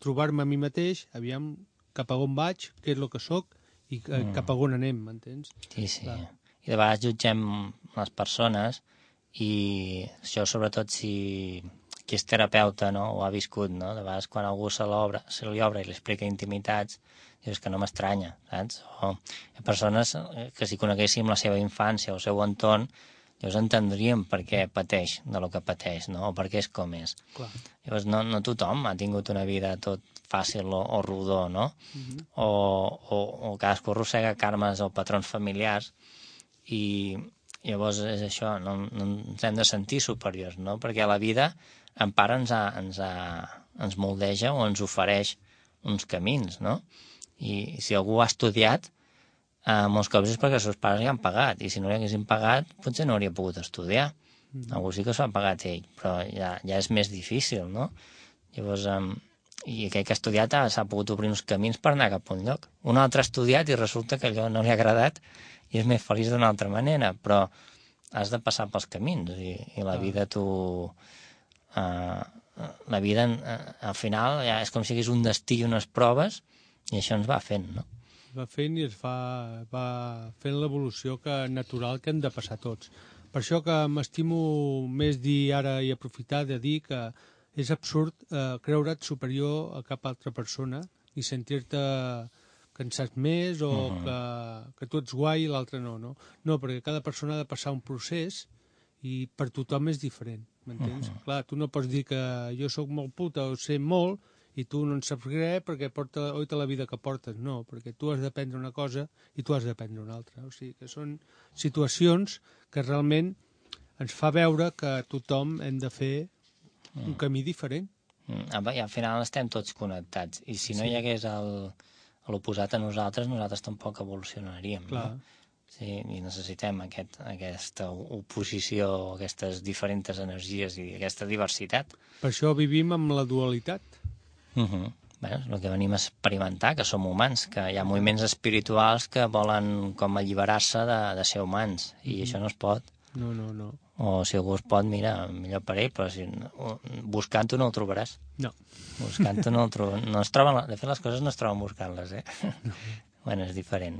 trobar-me a mi mateix, aviam cap a on vaig, què és el que sóc i cap a on anem, m'entens? Sí, sí. Clar. I de vegades jutgem les persones i això sobretot si qui és terapeuta, no, ho ha viscut, no? De vegades quan algú se li obre i li explica intimitats, dius que no m'estranya, saps? O hi ha persones que si coneguéssim la seva infància o el seu entorn, llavors entendríem per què pateix de lo que pateix, no? O per què és com és. Clar. Llavors no tothom ha tingut una vida tot fàcil o rodó, no? O cadascú arrossega karmes o patrons familiars i llavors és això, no ens hem de sentir superiors, no? Perquè la vida en part ens moldeja o ens ofereix uns camins, no? I si algú ha estudiat, molts cops és perquè els seus pares li han pagat, i si no li haguessin pagat potser no hauria pogut estudiar. Algú sí que s'ho ha pagat ell, però ja és més difícil, no? Llavors, i aquell que ha estudiat s'ha pogut obrir uns camins per anar cap a un lloc. Un altre ha estudiat i resulta que allò no li ha agradat i és més feliç d'una altra manera, però has de passar pels camins i la vida la vida al final ja és com si hagués un destí i unes proves i això ens va fent, no? Va fent i es va fent l'evolució natural que hem de passar tots. Per això que m'estimo més dir ara i aprofitar de dir que és absurd creure't superior a cap altra persona i sentir-te que en saps més o que tu ets guai i l'altre no. No, perquè cada persona ha de passar un procés i per tothom és diferent, m'entens? Clar, tu no pots dir que jo sóc molt puta o sé molt i tu no en saps res perquè porta la vida que portes. No, perquè tu has d'aprendre una cosa i tu has d'aprendre una altra. O sigui, que són situacions que realment ens fa veure que tothom hem de fer un camí diferent. I al final estem tots connectats. I si no hi hagués l'oposat a nosaltres tampoc evolucionaríem. Clar. No? Sí, i necessitem aquesta oposició, aquestes diferents energies i aquesta diversitat. Per això vivim amb la dualitat. Bé, és el que venim a experimentar, que som humans, que hi ha moviments espirituals que volen com alliberar-se de ser humans, i això no es pot. No. O si algú es pot, mira, millor per ell, però si buscant-ho no ho trobaràs. No. Buscant-ho no ho trobaràs. No es troben, de fet, les coses no es troben buscant-les, No. Bueno, és diferent.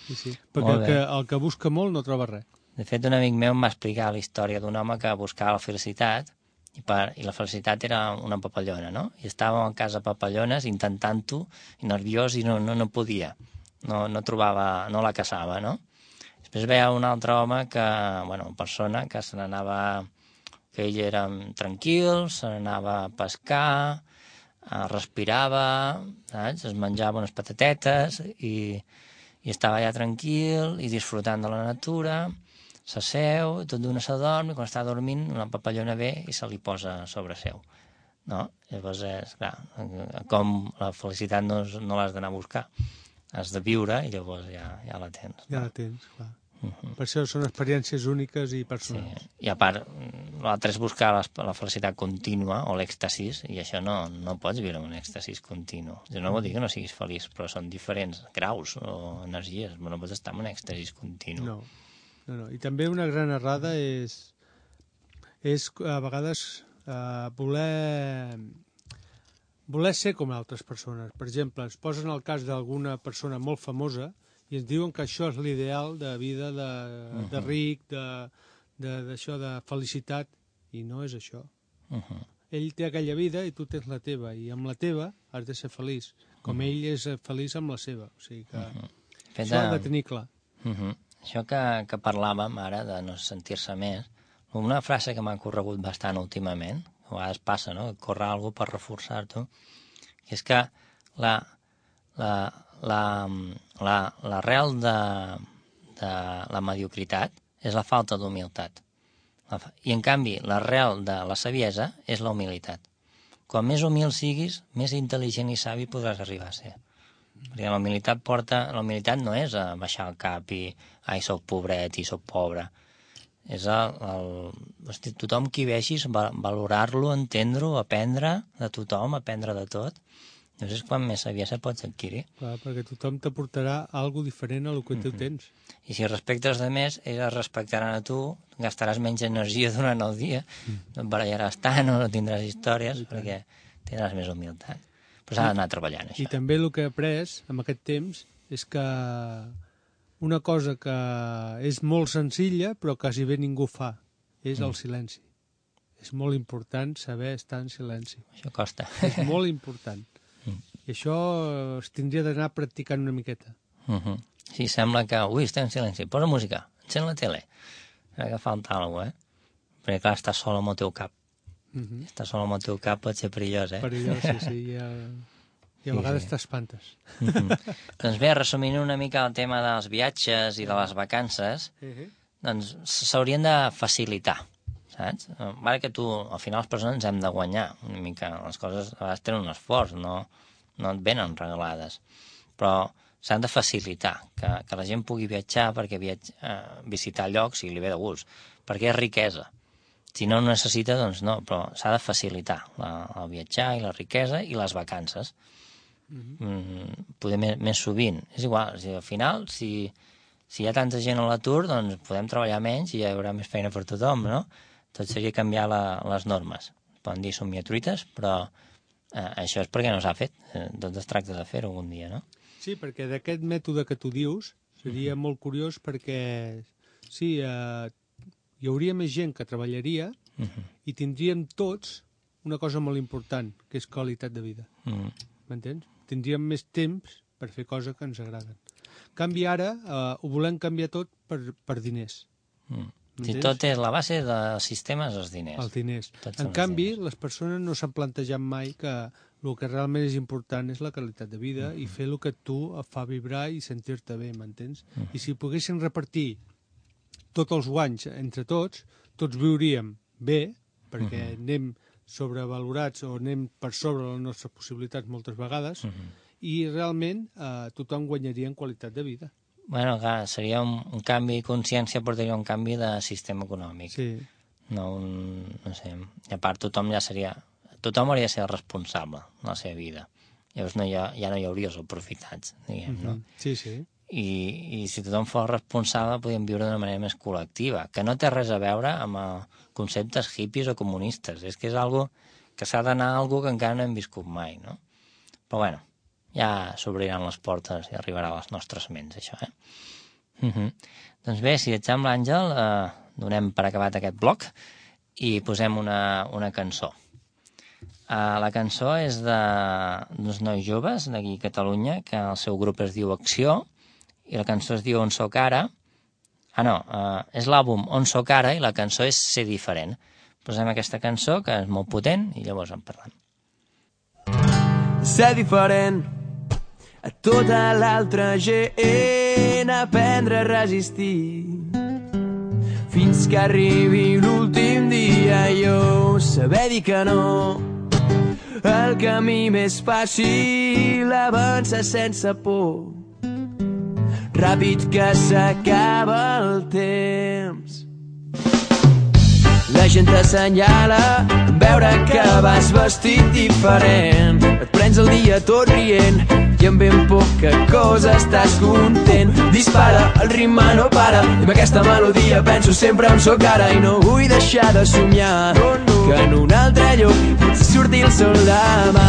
Sí. Perquè el que busca molt no troba res. De fet, un amic meu em va explicar la història d'un home que buscava la felicitat i la felicitat era una papallona, no? I estava en casa papallones intentant-ho, i nerviós, i no podia. No trobava, no la caçava, no? Després veia un altre home una persona que se n'anava, que ell era tranquil, se n'anava a pescar, respirava, saps? Es menjava unes patatetes i estava allà tranquil i disfrutant de la natura, s'asseu, tot d'una s'adorm, i quan està dormint una papallona ve i se li posa sobre seu. No? Llavors, és clar, com la felicitat no l'has d'anar a buscar. Has de viure i llavors ja la tens. Ja la tens, clar. Per això són experiències úniques i personals. Sí. I a part, l'altre és buscar la felicitat contínua o l'èxtasis, i això no pots viure un èxtasis continu. No vol dir que no siguis feliç, però són diferents graus o energies. No pots estar en un èxtasis continu. No. I també una gran errada és a vegades voler ser com altres persones. Per exemple, es posen el cas d'alguna persona molt famosa i ens diuen que això és l'ideal de vida de ric, d'això, de felicitat, i no és això. Ell té aquella vida i tu tens la teva, i amb la teva has de ser feliç, com ell és feliç amb la seva. O sigui que això ha de tenir clar. Això que parlàvem ara de no sentir-se més, una frase que m'ha corregut bastant últimament, a vegades passa, no?, que corre algú per reforçar-t'ho, que és que l'arrel de la mediocritat és la falta d'humilitat. I, en canvi, l'arrel de la saviesa és la humilitat. Quan més humil siguis, més intel·ligent i savi podràs arribar a ser. Perquè la humilitat no és baixar el cap i ai, soc pobret i soc pobre. És tothom qui vegis, valorar-lo, entendre-ho, aprendre de tothom, aprendre de tot, Llavors és quan més saviesa pots adquirir. Clar, perquè tothom t'aportarà alguna diferent a el que tu tens. I si respectes de més, ells es respectaran a tu, gastaràs menys energia durant el dia, no et barallaràs tant o no tindràs històries, perquè tindràs més humilitat. Però s'ha d'anar treballant, això. I també el que he après amb aquest temps és que una cosa que és molt senzilla, però quasi bé ningú fa, és el silenci. És molt important saber estar en silenci. Això costa. És molt important. I això es tindria d'anar practicant una miqueta. Sí, sembla que... Ui, estem en silenci. Posa música, encén la tele. Crec que falta alguna cosa, Perquè, clar, estàs sol amb el teu cap. Estàs sol amb el teu cap pot ser perillós, Perillós, sí. I a vegades t'espantes. Doncs bé, resumint una mica el tema dels viatges i de les vacances, doncs s'haurien de facilitar, saps? Vale que al final les persones ens hem de guanyar una mica. Les coses a vegades tenen un esforç, no et venen regalades. Però s'han de facilitar, que la gent pugui viatjar perquè visitar llocs i li ve de gust, perquè és riquesa. Si no ho necessita, doncs no, però s'ha de facilitar el viatjar i la riquesa i les vacances. Poder més sovint. És igual, al final, si hi ha tanta gent a l'atur, doncs podem treballar menys i hi haurà més feina per tothom, no? Tot seria canviar les normes. Poden dir somiatruites, però això és perquè no s'ha fet. Tot es tracta de fer-ho algun dia, no? Sí, perquè d'aquest mètode que tu dius seria molt curiós perquè sí, hi hauria més gent que treballaria i tindríem tots una cosa molt important, que és qualitat de vida. M'entens? Tindríem més temps per fer coses que ens agraden. En canvi, ara ho volem canviar tot per diners. Si tot és la base del sistema és els diners. Els diners. En canvi, les persones no s'han plantejat mai que el que realment és important és la qualitat de vida i fer el que tu et fa vibrar i sentir-te bé, m'entens? I si poguessin repartir tots els guanys entre tots viuríem bé, perquè anem sobrevalorats o anem per sobre les nostres possibilitats moltes vegades, i realment tothom guanyaria en qualitat de vida. Bueno, clar, seria un canvi de consciència, portaria un canvi de sistema econòmic. Sí. No sé, i a part tothom hauria de ser responsable de la seva vida. Llavors ja no hi hauria els aprofitats, diguem, no? Sí. I si tothom fos responsable podríem viure d'una manera més col·lectiva, que no té res a veure amb conceptes hippies o comunistes. És que és algo que s'ha d'anar a algo que encara no hem viscut mai, no? Però bueno, ja s'obriran les portes i arribarà a les nostres ments, això, Doncs bé, si et sembla, Àngel, donem per acabat aquest bloc i posem una cançó. La cançó és d'uns nois joves d'aquí a Catalunya, que el seu grup es diu Acció, i la cançó es diu On soc ara. És l'àlbum On soc ara i la cançó és Ser diferent. Posem aquesta cançó, que és molt potent, i llavors en parlem. Ser diferent a tota l'altra gent, aprendre a resistir fins que arribi l'últim dia, jo saber dir que no, el camí més fàcil, avançar sense por, ràpid que s'acaba el temps. La gent t'assenyala en veure que vas vestit diferent. Et prens el dia tot rient i amb ben poca cosa estàs content. Dispara, el ritme no para i amb aquesta melodia penso sempre on soc ara i no vull deixar de somiar que en un altre lloc potser surti el sol demà.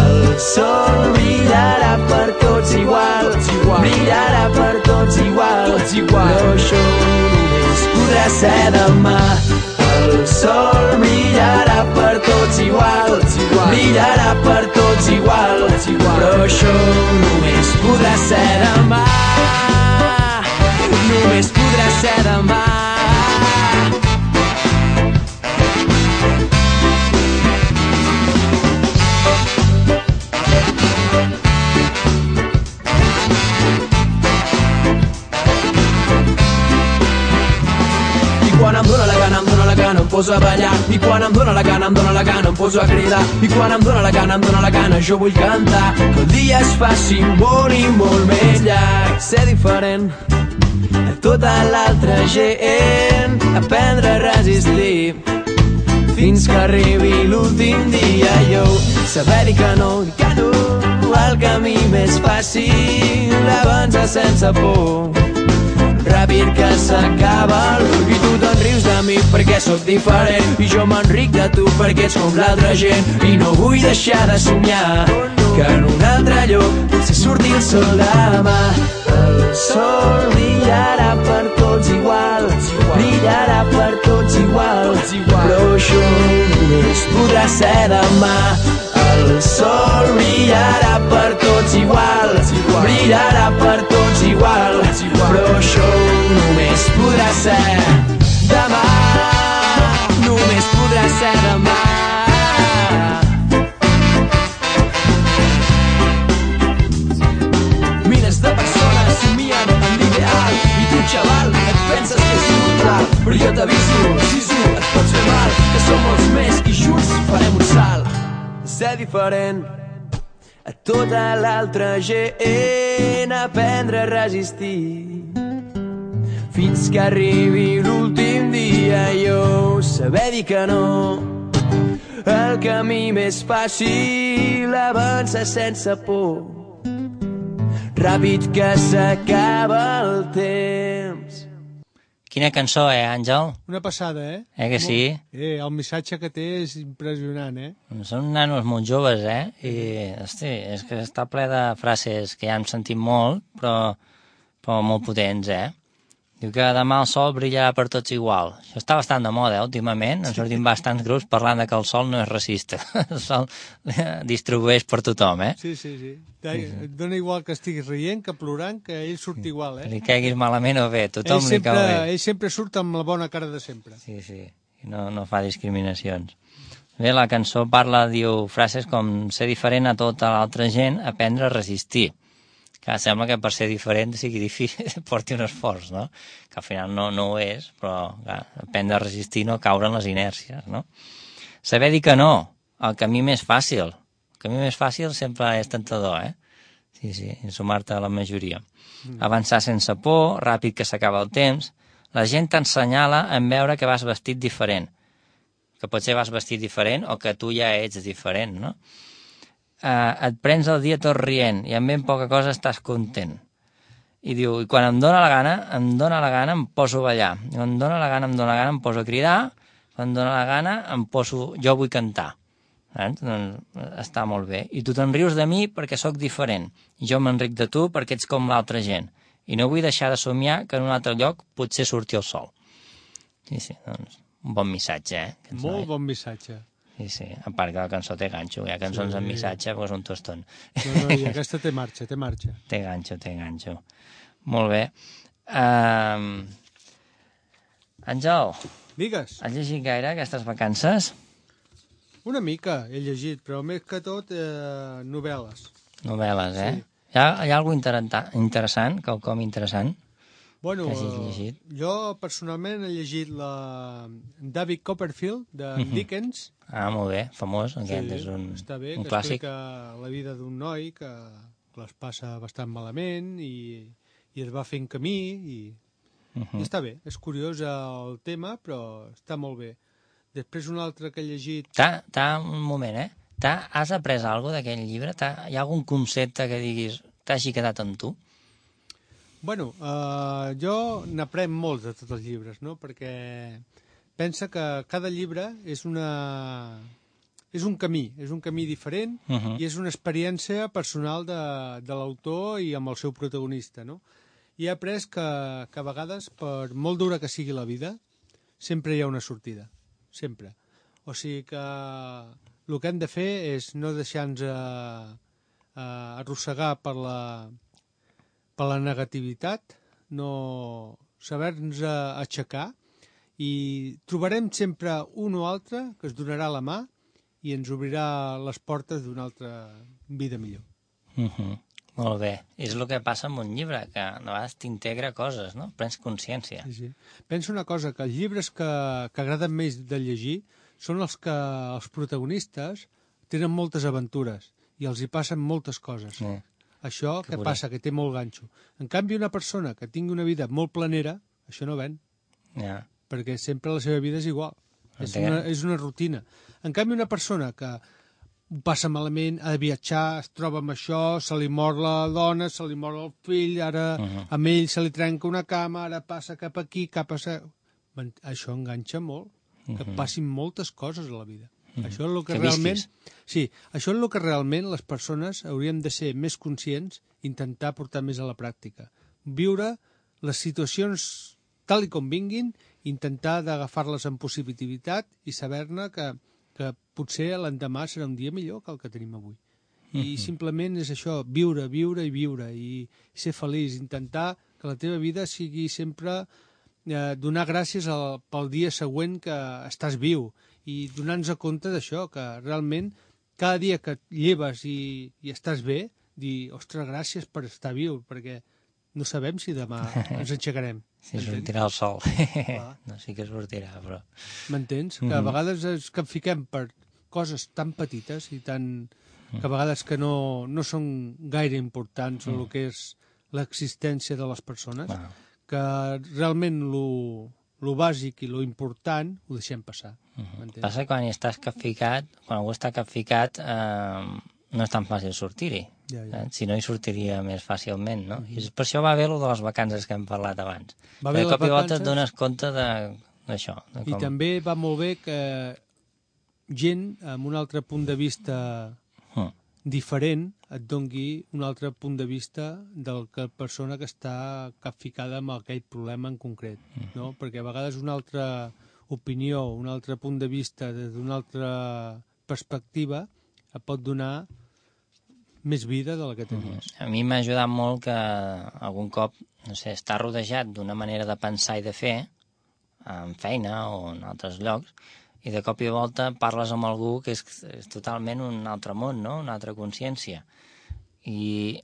El sol brillarà per tots igual, brillarà per tots igual, però això només podrà ser demà. El sol brillarà per tots igual, brillarà per tots igual, però això només podrà ser demà, només podrà ser demà. Quan em dóna la gana em poso a ballar, i quan em dóna la gana em poso a cridar, i quan em dóna la gana jo vull cantar, que el dia es faci molt i molt més llarg. Ser diferent a tota l'altra gent, aprendre a resistir fins que arribi l'últim dia, jo saber dir que no, el camí més fàcil, avança sense por. Ràpid que s'acaba i tu te'n rius de mi perquè sóc diferent i jo m'enric de tu perquè ets com l'altra gent i no vull deixar de somiar que en un altre lloc potser surti el sol demà. El sol brillarà per tots igual, brillarà per tots igual, però això només podrà ser demà. El sol brillarà per tots igual, brillarà per tots igual, però això només podrà ser demà, només podrà ser demà. Milers de persones somien en l'ideal i tu, xaval, et penses que és brutal, però jo t'aviso, sisu, et pots fer mal, que som molts més i junts farem un salt. Ser diferent a tota l'altra gent, aprendre a resistir fins que arribi l'últim dia i jo saber dir que no. El camí més fàcil, avança sense por, ràpid que s'acaba el temps. Quina cançó, Àngel? Una passada, eh? Que sí? El missatge que té és impressionant, eh? Són nanos molt joves, I, hosti, és que està ple de frases que ja hem sentit molt, però molt potents, Diu que demà el sol brillarà per tots igual. Això està bastant de moda, últimament. En sortim bastants grups parlant de que el sol no és racista. El sol distribueix per tothom, Sí. Et dona igual que estiguis rient, que plorant, que ell surt igual, Li caiguis malament o bé, tothom li cau bé. Ell sempre surt amb la bona cara de sempre. Sí, i no fa discriminacions. Bé, la cançó diu frases com ser diferent a tota l'altra gent, aprendre a resistir. Que sembla que per ser diferent sigui difícil, porti un esforç, no? Que al final no ho és, però clar, aprendre a resistir, no caure en les inèrcies, no? Saber dir que no, el camí més fàcil. El camí més fàcil sempre és tentador, Sí, i sumar-te a la majoria. Avançar sense por, ràpid que s'acaba el temps. La gent t'ensenyala en veure que vas vestit diferent. Que potser vas vestit diferent o que tu ja ets diferent, no? Et prens el dia tot rient i amb ben poca cosa estàs content. I diu, i quan em dóna la gana, em poso a ballar. I quan em dóna la gana, em poso a cridar. Quan em dóna la gana, jo vull cantar. Doncs està molt bé. I tu te'n rius de mi perquè sóc diferent. I jo m'enric de tu perquè ets com l'altra gent. I no vull deixar de somiar que en un altre lloc potser surti el sol. Sí, doncs, un bon missatge, Molt bon missatge. Sí, a part que la cançó té ganxo, hi ha cançons amb missatge, doncs un tostón. No, i aquesta té marxa. Té ganxo. Molt bé. Àngel, Digues. has llegit gaire aquestes vacances? Una mica he llegit, però més que tot novel·les. Novel·les, Sí. Hi ha alguna interessant, quelcom interessant? Bueno, que hagis llegit? Jo personalment he llegit la David Copperfield, de Dickens. Molt bé, famós, aquest és un clàssic. Explica la vida d'un noi que les passa bastant malament i es va fent camí i està bé, és curiós el tema, però està molt bé. Després un altre que he llegit... Un moment, has après alguna cosa d'aquell llibre? Hi ha algun concepte que diguis t'hagi quedat amb tu? Bueno, jo n'aprenc molts de tots els llibres, no? Perquè pensa que cada llibre és un camí diferent i és una experiència personal de l'autor i amb el seu protagonista, no? I he après que a vegades, per molt dura que sigui la vida, sempre hi ha una sortida, sempre. O sigui que el que hem de fer és no deixar-nos arrossegar per la negativitat, no saber-nos aixecar i trobarem sempre un o altre que es donarà la mà i ens obrirà les portes d'una altra vida millor. Molt bé. És el que passa amb un llibre, que a vegades t'integra coses, no? Prens consciència. Sí. Penso una cosa, que els llibres que agraden més de llegir són els que els protagonistes tenen moltes aventures i els hi passen moltes coses. Sí. Això que passa, que té molt ganxo. En canvi, una persona que tingui una vida molt planera, això no ven. Ja. Perquè sempre la seva vida és igual. És una rutina. En canvi, una persona que ho passa malament, ha de viatjar, es troba amb això, se li mor la dona, se li mor el fill, ara amb ell se li trenca una cama, ara passa cap aquí, Això enganxa molt, que passin moltes coses a la vida. Això és el que realment... Sí, això és el que realment les persones hauríem de ser més conscients, intentar portar més a la pràctica. Viure les situacions tal i com vinguin, intentar d'agafar-les amb positivitat i saber-ne que potser l'endemà serà un dia millor que el que tenim avui. I simplement és això, viure i ser feliç, intentar que la teva vida sigui sempre donar gràcies pel dia següent que estàs viu i donar-nos compte d'això, que realment cada dia que et lleves i estàs bé, dir, ostres, gràcies per estar viu, perquè no sabem si demà ens aixecarem. Si sortirà el sol. No, sí que sortirà, però... M'entens? Que a vegades és que fiquem per coses tan petites i tan... que a vegades que no són gaire importants en el que és l'existència de les persones, que realment lo bàsic i lo important ho deixem passar. Passa que quan estàs capficat, quan algú està capficat, no és tan fàcil sortir-hi. Si no, hi sortiria més fàcilment, no? I per això va bé el de les vacances que hem parlat abans. De cop i volta et dones compte d'això. I també va molt bé que gent amb un altre punt de vista diferent et dongui un altre punt de vista de la persona que està capficada amb aquell problema en concret, no? Perquè a vegades una altra opinió, un altre punt de vista des d'una altra perspectiva et pot donar més vida de la que tenies. A mi m'ha ajudat molt que algun cop, no sé, estar rodejat d'una manera de pensar i de fer, en feina o en altres llocs, i de cop i volta parles amb algú que és totalment un altre món, no? Una altra consciència. I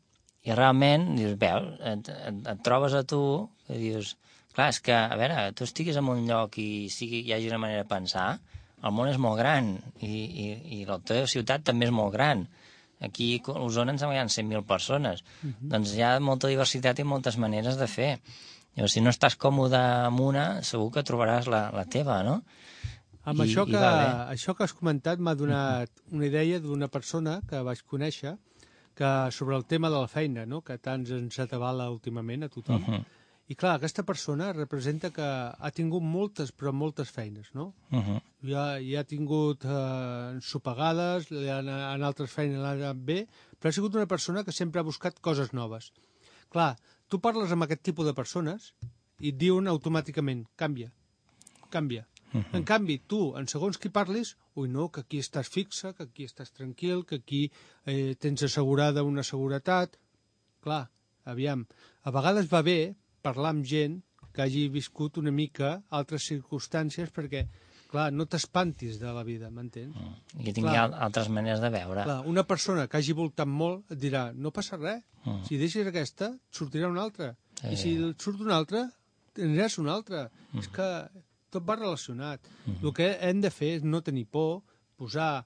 realment, dius, veus, et trobes a tu, que dius, clar, és que, a veure, tu estiguis en un lloc i hi hagi una manera de pensar, el món és molt gran i la teva ciutat també és molt gran. Aquí a Osona ens hi ha 100.000 persones. Doncs hi ha molta diversitat i moltes maneres de fer. Llavors, si no estàs còmode amb una, segur que trobaràs la teva, no? Amb això que has comentat m'ha donat una idea d'una persona que vaig conèixer que sobre el tema de la feina, no? Que tant ens atabala últimament a tothom. I clar, aquesta persona representa que ha tingut moltes, però moltes feines, no? Ja ha tingut ensopegades, en altres feines l'ha anat bé, però ha sigut una persona que sempre ha buscat coses noves. Clar, tu parles amb aquest tipus de persones i et diuen automàticament, canvia. En canvi, tu, en segons qui parlis, no, que aquí estàs fixa, que aquí estàs tranquil, que aquí tens assegurada una seguretat. Clar, aviam, a vegades va bé parlar amb gent que hagi viscut una mica altres circumstàncies perquè, clar, no t'espantis de la vida, m'entens? I tingui altres maneres de veure. Clar, una persona que hagi voltat molt et dirà, no passa res, si deixes aquesta, et sortirà una altra. I si et surt una altra, tindràs una altra. És que tot va relacionat. El que hem de fer és no tenir por, posar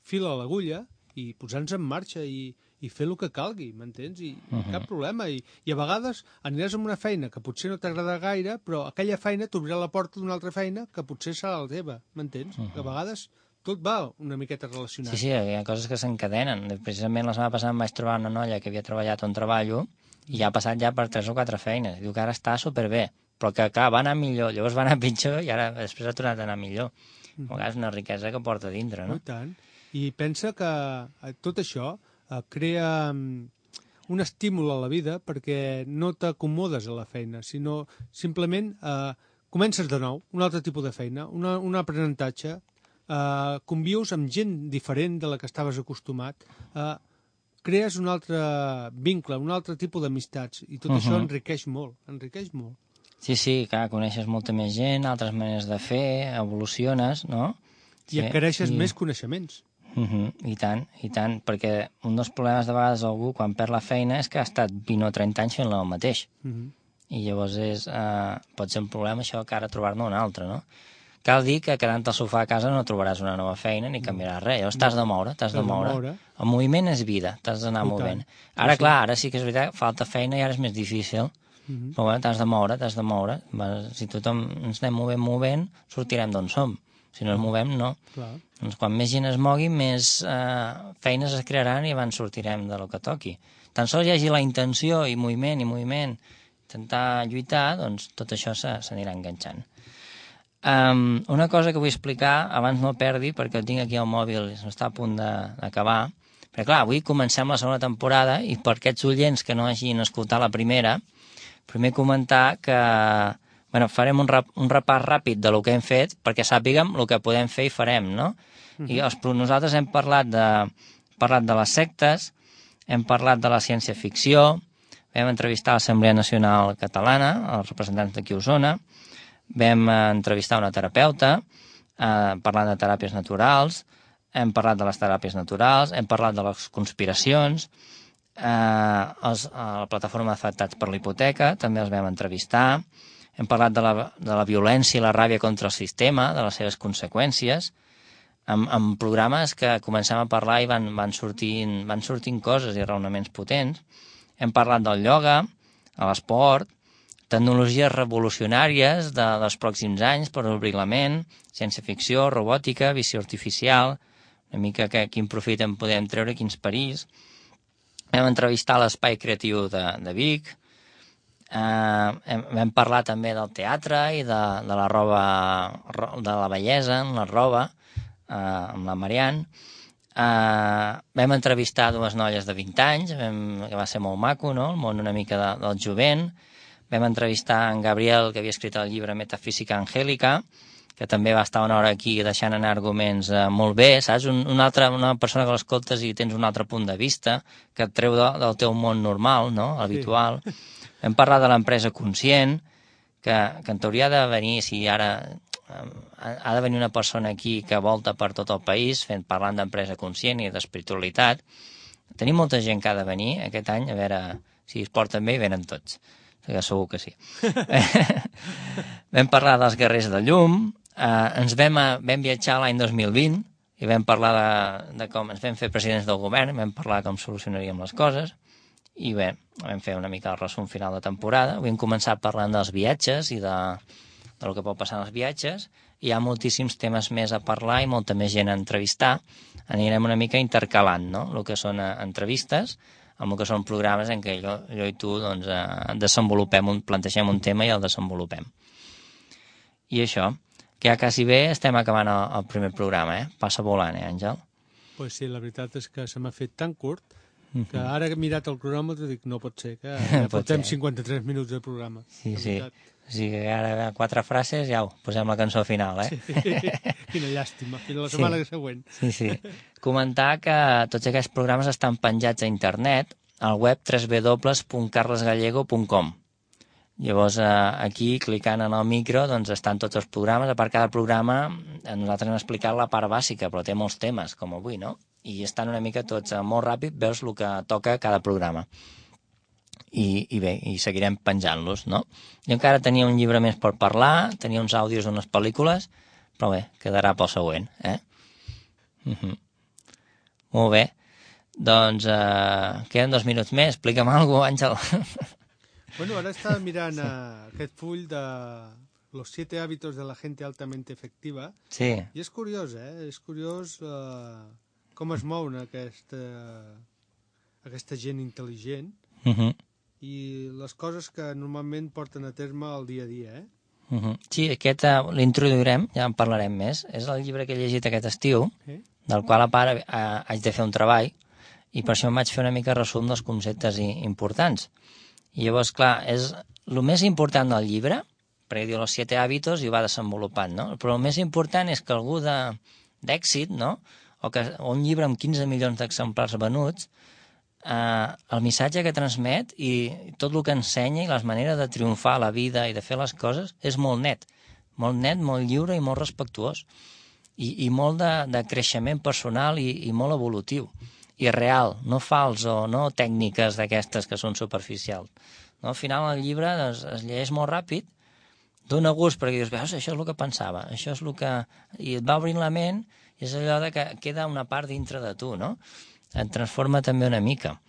fil a l'agulla i posar-nos en marxa i fer el que calgui, m'entens? I cap problema. I a vegades aniràs amb una feina que potser no t'agrada gaire, però aquella feina t'obrirà la porta d'una altra feina que potser serà la teva, m'entens? Que a vegades tot va una miqueta relacionat. Sí, hi ha coses que s'encadenen. Precisament la setmana passada em vaig trobar una noia que havia treballat on treballo i ha passat ja per 3 o 4 feines. Diu que ara està superbé, però que clar, va anar millor, llavors va anar pitjor i ara després ha tornat a anar millor. A vegades una riquesa que porta dintre, no? I tant. I pensa que tot això crea un estímul a la vida perquè no t'acomodes a la feina, sinó simplement comences de nou, un altre tipus de feina, un aprenentatge, convius amb gent diferent de la que estaves acostumat, crees un altre vincle, un altre tipus d'amistats, i tot això enriqueix molt, Sí, clar, coneixes molta més gent, altres maneres de fer, evoluciones, no? I adquireixes més coneixements. I tant, perquè un dels problemes de vegades d'algú quan perd la feina és que ha estat 20 o 30 anys fent el mateix. I llavors pot ser un problema això que ara trobar-ne un altre, no? Cal dir que quedant al sofà a casa no trobaràs una nova feina ni canviaràs res, llavors t'has de moure. El moviment és vida, t'has d'anar movent. Ara, clar, ara sí que és veritat, falta feina i ara és més difícil, però bueno, t'has de moure. Si tothom ens anem movent, sortirem d'on som. Si no ens movem, no. Clar. Doncs quan més gent es mogui, més feines es crearan i abans sortirem de lo que toqui. Tan sols hi hagi la intenció i moviment, intentar lluitar, doncs tot això s'anirà enganxant. Una cosa que vull explicar, abans no perdi, perquè el tinc aquí al mòbil i està a punt d'acabar, perquè clar, avui comencem la segona temporada i per aquests oients que no hagin escoltat la primera, primer comentar que farem un repàs ràpid de lo que hem fet perquè sàpiguem el que podem fer i farem, no? I nosaltres hem parlat de les sectes, hem parlat de la ciència-ficció, vam entrevistar l'Assemblea Nacional Catalana, els representants d'aquí a Osona, vam entrevistar una terapeuta, parlant de teràpies naturals, hem parlat de les teràpies naturals, hem parlat de les conspiracions, a la plataforma d'afectats per la hipoteca també els vam entrevistar, hem parlat de la violència i la ràbia contra el sistema, de les seves conseqüències, amb programes que comencem a parlar i van sortint coses i raonaments potents. Hem parlat del ioga, de l'esport, tecnologies revolucionàries dels pròxims anys per obrir la ment, ciència-ficció, robòtica, visió artificial, una mica quin profit en podem treure, quins perills. Vam entrevistar l'Espai Creatiu de Vic, vam parlar també del teatre i de la roba, de la bellesa en la roba, amb la Marianne. Vam entrevistar dues noies de 20 anys, que va ser molt maco, no? El món una mica del jovent. Vam entrevistar en Gabriel, que havia escrit el llibre Metafísica Angélica, que també va estar una hora aquí deixant anar arguments molt bé, saps? Una persona que l'escoltes i tens un altre punt de vista, que et treu del teu món normal, no? Habitual. Sí. Vam parlar de l'empresa conscient, que en teoria ha de venir, si ara ha de venir una persona aquí que volta per tot el país parlant d'empresa conscient i d'espiritualitat. Tenim molta gent que ha de venir aquest any, a veure si es porten bé i venen tots. Segur que sí. Vam parlar dels guerrers de llum, vam viatjar l'any 2020 i vam parlar de com ens vam fer presidents del govern, vam parlar de com solucionaríem les coses i bé, vam fer una mica el resum final de temporada. Vam començar parlant dels viatges i del que pot passar en els viatges. Hi ha moltíssims temes més a parlar i molta més gent a entrevistar. Anirem una mica intercalant, no?, el que són entrevistes amb el que són programes en què jo i tu doncs, plantegem un tema i el desenvolupem. I això, que ja quasi bé estem acabant el primer programa, Passa volant, Àngel? Pues sí, la veritat és que se m'ha fet tan curt que ara que he mirat el cronòmetre dic no pot ser, que ja portem 53 minuts de programa. Sí. O sigui que ara 4 frases ja posem la cançó final, Sí, quina llàstima, fins la setmana següent. Sí. Comentar que tots aquests programes estan penjats a internet al web www.carlesgallego.com. Llavors aquí, clicant en el micro, doncs estan tots els programes. A part, cada programa, nosaltres hem explicat la part bàsica, però té molts temes, com avui, no? I estan una mica tots molt ràpid, veus el que toca cada programa. I bé, i seguirem penjant-los, no? Jo encara tenia un llibre més per parlar, tenia uns àudios d'unes pel·lícules, però bé, quedarà pel següent, Molt bé. Doncs queden 2 minuts més. Explica'm alguna cosa, Àngel. Bueno, ara estava mirant aquest full de los 7 hábitos de la gente altamente efectiva. Sí. I és curiós, És curiós com es mouen aquesta gent intel·ligent i les coses que normalment porten a terme el dia a dia, Sí, aquest l'introduirem, ja en parlarem més. És el llibre que he llegit aquest estiu, del qual a part haig de fer un treball, i per això em vaig fer una mica resum dels conceptes importants. I llavors, clar, és el més important del llibre, perquè diu los 7 hàbitos i ho va desenvolupant, no? Però el més important és que algú d'èxit, no?, o un llibre amb 15 milions d'exemplars venuts, el missatge que transmet i tot el que ensenya i les maneres de triomfar a la vida i de fer les coses és molt net, molt lliure i molt respectuós i molt de creixement personal i molt evolutiu i real, no fals o no tècniques d'aquestes que són superficials. No? Al final el llibre es llegeix molt ràpid, dona gust perquè dius, veus, això és el que pensava, això és el que... i et va obrint la ment i és allò que queda una part dintre de tu, no? Et transforma també una mica.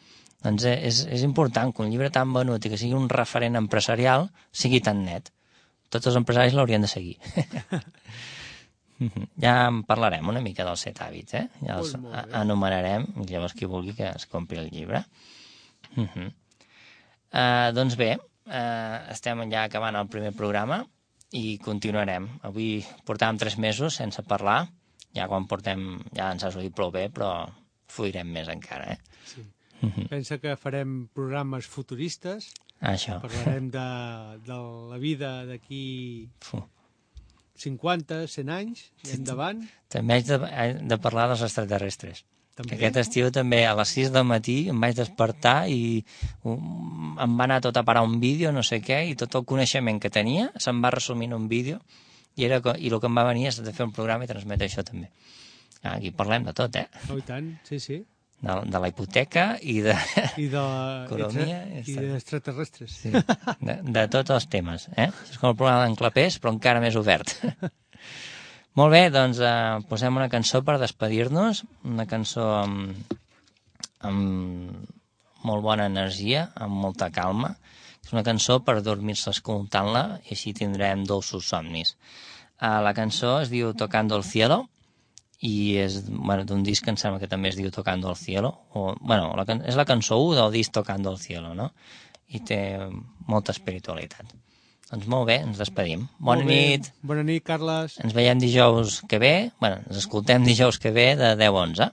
Doncs és important que un llibre tan venut i que sigui un referent empresarial sigui tan net. Tots els empresaris l'haurien de seguir. Ja en parlarem una mica dels 7 hàbits, ja els Molt bé. anomenarem, i llavors qui vulgui que es compri el llibre. Doncs bé, estem ja acabant el primer programa i continuarem. Avui portàvem 3 mesos sense parlar, ja quan portem, ja ens ha sortit prou bé, però fluirem més encara, Sí. Pensa que farem programes futuristes, Això. parlarem de la vida d'aquí 50, 100 anys i endavant. També haig de parlar dels extraterrestres. També. Aquest estiu també a les 6 del matí em vaig despertar i em va anar tot a parar un vídeo, no sé què, i tot el coneixement que tenia se'm va resumir en un vídeo i el que em va venir és de fer un programa i transmetre això també. Aquí parlem de tot, Oh, i tant, sí. De la hipoteca i de I economia. i d'extraterrestres. Sí, de tots els temes. És com el programa d'en Clapés, però encara més obert. Molt bé, doncs posem una cançó per despedir-nos, una cançó amb molt bona energia, amb molta calma. És una cançó per dormir-se escoltant-la i així tindrem dolços somnis. La cançó es diu Tocando el Cielo i és d'un disc que em sembla que també es diu Tocando el Cielo. És la cançó 1 del disc Tocando el Cielo, no? I té molta espiritualitat. Doncs molt bé, ens despedim. Bona nit. Bona nit, Carles. Ens veiem dijous que ve, ens escoltem dijous que ve de 10 a 11.